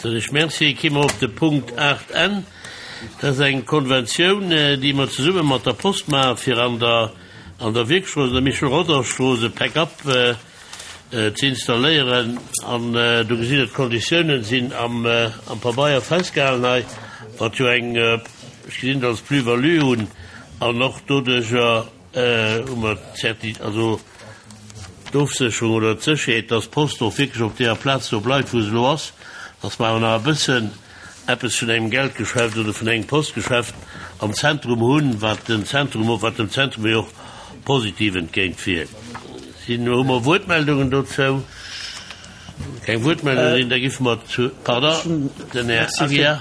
Soen ech Merci. Gi mer op de Punkt 8 N. Dat ass eng Konventioun, déi mer zesumme mat der Post maachen, fir an der an der Wierkstrooss, an der Michel-Rodange-Strooss e Pick-up ze installéieren. An do gesitt Der, d'Konditiounen sinn am am Pabeier festgehalen hei, wat jo eng, ech gesinn et als Plus-value un, an och doduerjer, Hu mer d'Certi-, also d'Ofsécherung oder d'Sécherheet, dass d'Post och wierklech op deeër Plaz do bleift, wou se elo ass, dass mer awer nach e bëssen eppes vun engem Geldgeschäft oder vun engem Postgeschäft am Zentrum hunn, wat den Zentrum, wat dem Zentrum jo och positiv entgéintwierkt. Sinn, hu mer Wuertmeldungen dozou? Keng Wuertmeldungen sinn, da giffe mer zu, pardon, den Här Aguiar.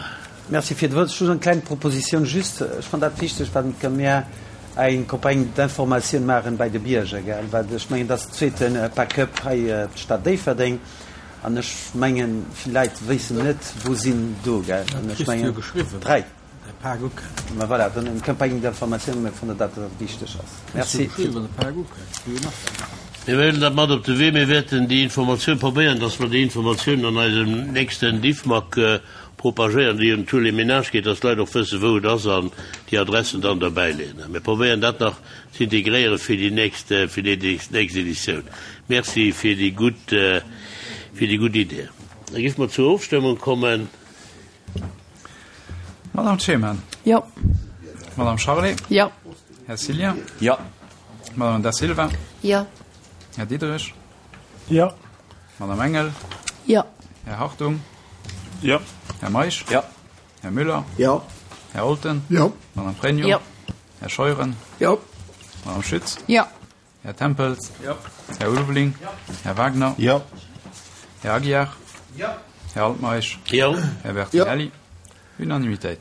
Merci fir d'Wuert. Ech hu eng kleng Proposition just. Ech fannen dat wichteg, wat mir eng Campagne d'information maachen bei de Bierger, gell, well ech mengen, dat ass zweete Pack-up hei d'Stad Déifferdeng an ech mengen, vill Leit wéissen net, wou sinn do, gell, an ech mengen, dräi. Ma voilà, dann eng Campagne d'information, mir fannen dat, dat wichteg ass. Merci. Mir huelen dat mat op de Wee. Mir wäerten déi Informatioun probéieren, dass mer déi Informatioun an eisem nächsten Diffmag Propagéieren, déi un tous les ménages geet, dass d'Leit och wëssen, wou et ass an déi Adressen dann derbäi leeën. Mir probéieren dat nach ze integréieren fir déi nächst, fir déi nächst Editioun. Merci fir déi gutt, fir déi gutt Idee. Da géife mer zur Ofstëmmung kommen. Madame Clement. Jo. Madame Charlé. Jo. Här Cillien. Jo. Madame Da Silva. Jo. Här Diderich. Jo. Madame Engel. Jo. Här Hartung. Jo. Här Meisch. Jo. Här Müller. Jo. Här Olten. Jo. Madame Pregno. Jo. Här Scheuren. Jo. Madame Schütz. Jo. Här Tempels. Jo. Här Ulveling. Jo. Här Wagner. Jo. Här Aguiar. Jo. Här Altmeisch. Jo. Här Bertinelli. Unanimitéit.